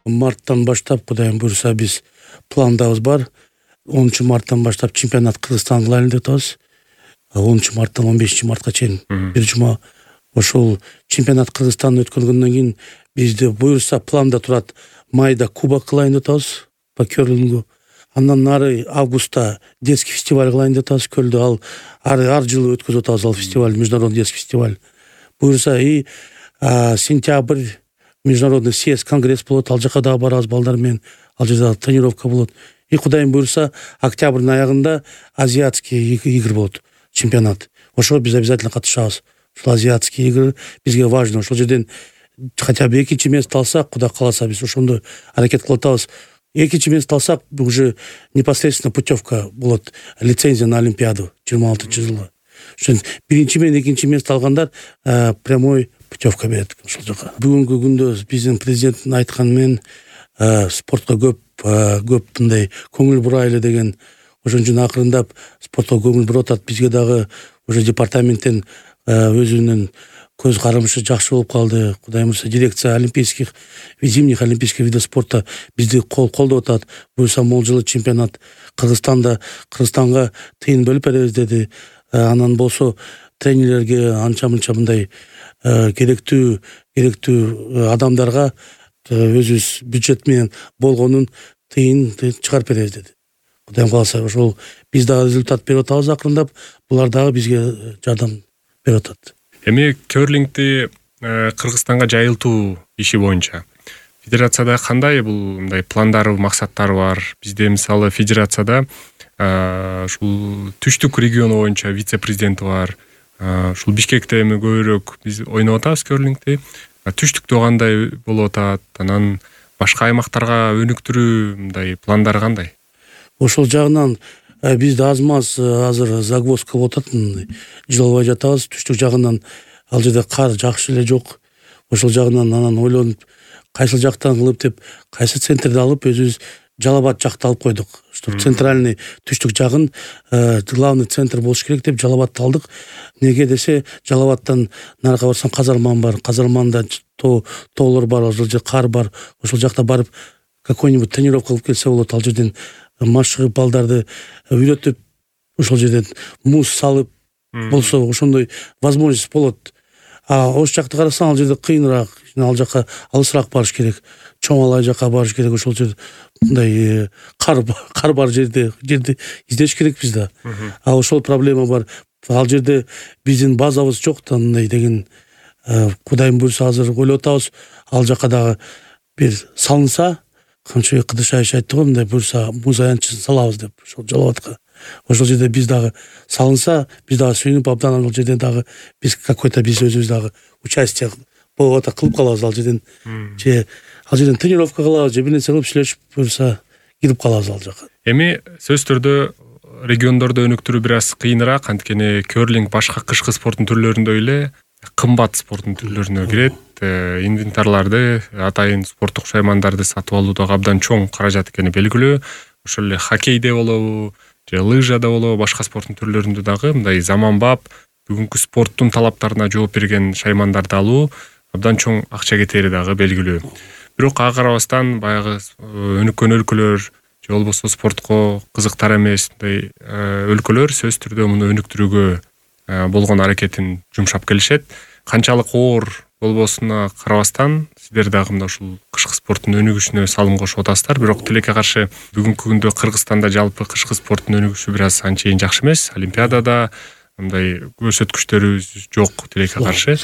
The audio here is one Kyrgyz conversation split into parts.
марттан баштап Кудайым буйруса биз пландабыз бар. 10-марттан баштап чемпионат Кыргызстан кылайлы деп атабыз. 10-марттан 15-мартка чейин бир жума ошол чемпионат Кыргызстан өткөнгөндөн кийин бизде буйруса планда турат майда кубок кылайын деп атабыз по керлингу. Андан нары августта детский фестиваль кылайын деп атабыз Көлдө. Ал ар жылы өткөзүп атабыз ал фестиваль, международный детский фестиваль. Буйруса и сентябрь международный съезд конгресс болот. Ал жака дагы барабыз балдар менен. Ал жерде тренировка болот. И Кудайым буйруса октябрдын аягында азиатский игр болот, чемпионат. Ошого биз обязательно катышабыз. Ушул азиатский игр бизге важно. Ошол жерден хотя бы 2-чи место алсак, Кудай кааласа биз ошондо аракет кылып атабыз. 2-чи место алсак, уже непосредственно путевка болот, лицензия на Олимпиаду 26-жылы. Ошон 1-чи менен 2-чи место алгандар прямой путевка берет ошол жака. Бүгүнкү күндө биздин президенттин айтканы менен спортко көп мындай көңүл бурайлы деген, ошон үчүн акырындап спортко көңүл буруп атат. Бизге дагы уже департаменттен өзүнүн көз карамышы жакшы болуп калды. Кудайым буйруса дирекция зимних олимпийских видов спорта бизди колдоп атат. Буюрса могул чемпионат Кыргызстанга тыйын бөлүп беребиз деди. Анан болсо тренерлерге анча-мынча мындай керектүү адамдарга өзүбүз бюджет менен болгонун тыйын чыгарып беребиз деди. Кудайым кааласа ошол биз дагы результат берип атабыз акырындап. Булар дагы бизге жардам берип атат. Эми керлингди Кыргызстанга жайылтуу иши боюнча федерацияда кандай бул мындай пландары, максаттары бар? Бизде мисалы федерацияда ушул түштүк региону боюнча вице-президенти бар. Ушул Бишкекте эми көбүрөөк биз ойноп атабыз керлингди. Түштүктө кандай болуп атат? Анан башка аймактарга өнүктүрүү мындай пландары кандай? Ошол жагынан бизде аз-маз азыр загвоздка болуп атат. Жыл албай жатабыз. Түштүк жагынан ал жерде кар жакшы эле жок. Ошол жагынан анан ойлонуп, кайсыл жактан кылып деп, кайсы центрди алып өзүбүз Жалал-Абад жакты алып койдук. Центральный түштүк жагын главный центр болуш керек деп Жалал-Абадты алдык. Неге десе, Жалал-Абадтан нарга барсаң Казарман бар. Казарманда тоолор бар, ошол жерде кар бар. Ошол жакта барып какой-нибудь тренировка кылып келсе болот. Ал жерден машыгып балдарды үйрөтүп, ошол жерден муз салып болсо ошондой возможность болот. Ош жакты карасаң ал жерде кыйыныраак, ал жака алысыраак барыш керек. Чоң Алай жака барыш керек. Ошол жерде мындай кар бар жерди издеш керек бизде. Ошол проблема бар. Ал жерде биздин базабыз жок да мындай деген. Кудайым буйруса азыр ойлоп атабыз. Ал жака дагы бир салынса, Камчыбек Кыдышаевич айтты го, мындай буйруса муз аянтчысын салабыз деп ошол Жалал-Абадка. Ошол жерде биз дагы салынса, биз дагы сүйүнүп абдан ал жерден дагы биз какой-то биз өзүбүз дагы участие болуп кылып калабыз ал жерден. Ал жерден тренировка кылабыз, бир нерсе кылып иштешип буйруса кирип калабыз ал жака. Эми сөзсүз түрдө региондордо өнүктүрүү бир аз кыйыныраак, анткени керлинг башка кышкы спорттун түрлөрүндөй эле кымбат спорттун түрлөрүнө кирет. Инвентарларды, атайын спорттук шаймандарды сатып алуу дагы абдан чоң каражат экени белгилүү. Ошол эле хоккейде болобу, же лыжада болобу, башка спорттун түрлөрүндө дагы мындай заманбап бүгүнкү спорттун талаптарына жооп берген шаймандарды алуу абдан чоң акча кетери дагы белгилүү. Бирок ага карабастан баягы өнүккөн өлкөлөр же болбосо спортко кызыктар эмес мындай өлкөлөр сөзсүз түрдө муну өнүктүрүүгө болгон аракетин жумшап келишет. Канчалык оор болбосуна карабастан сиздер дагы мына ушул кышкы спорттун өнүгүшүнө салым кошуп атасыздар. Бирок тилекке каршы бүгүнкү күндө Кыргызстанда жалпы кышкы спорттун өнүгүшү бир аз анчейин жакшы эмес. Олимпиадада мындай көрсөткүчтөрүбүз жок тилекке каршы.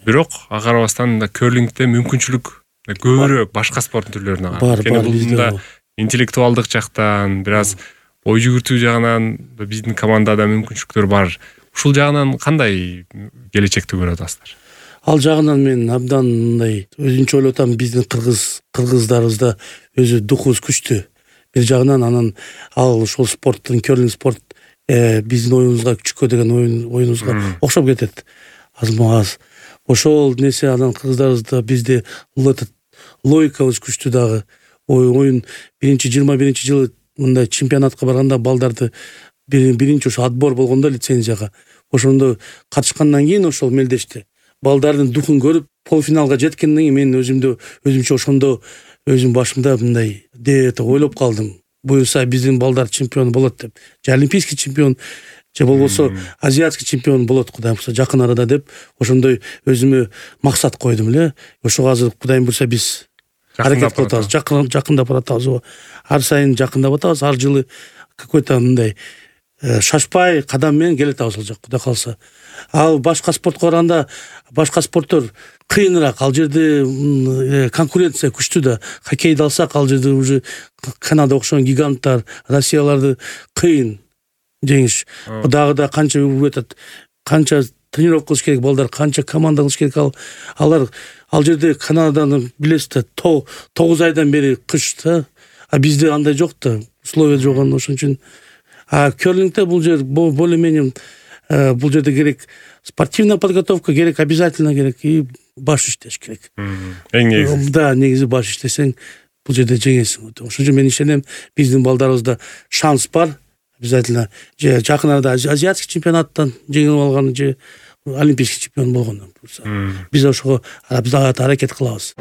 Бирок ага карабастан керлингде мүмкүнчүлүк көбүрөөк башка спорттун түрлөрүнө бар. Анткени бул мында интеллектуалдык жактан, бир аз ой жүгүртүү жагынан биздин командада мүмкүнчүлүктөр бар. Ушул жагынан кандай келечекти көрүп атасыздар? Ал жагынан мен абдан мындай өзүнчө ойлоп атам, биздин кыргыздарыбызда өзү духубуз күчтүү. Бир жагынан анан ал ошол спорттун керлинг спорт биздин оюнубузга, күчкө деген оюнубузга окшоп кетет. Аз-маз ошол нерсе анан кыргыздарыбызда бизде логикабыз күчтүү дагы. Оюн 21 жылы мындай чемпионатка барганда балдарды биринчи ошо отбор болгондо лицензияга ошондо катышкандан кийин ошол мелдешти балдардын духун көрүп полуфиналга жеткенден кийин мен өзүмчө ошондо өзүм башымда мындай ойлоп калдым. Буюрса биздин балдар чемпион болот деп. Же олимпийский чемпион, же болбосо азиатский чемпион болот Кудайым буйрса жакын арада деп ошондой өзүмө максат койдум эле. Ошого азыр Кудайым буйрса биз аракет кылып атабыз, жакындап баратабыз. Ар сайын жакындап атабыз. Ар жылы какой-то мындай шашпай кадам менен келатабыз ал жак, Кудай калса. Ал башка спортко караганда башка спорттор кыйыныраак. Ал жерде конкуренция күчтүү да. Хоккейди алсак, ал жерде уже Канада окшогон гиганттар, Россияларды кыйын жеңиш. Дагы да канча өтөт, канча тренировка кылыш керек балдар, канча команда кылыш керек. Алар ал жерде Канаданы билесиз да, 9 айдан бери кыш да. А бизде андай жок да, условия жок. Ошон үчүн керлингде бул жер более-менее бул жерде керек спортивная подготовка керек, обязательно керек и баш иштеш керек. Эң негизи. Да, негизи баш иштесең бул жерде жеңесиң. Ошон үчүн мен ишенем, биздин балдарыбызда шанс бар. Обязательно же жакын арада азиатский чемпионаттан жеңип алган, же олимпийский чемпион болгондон. Биз ошого аракет кылабыз.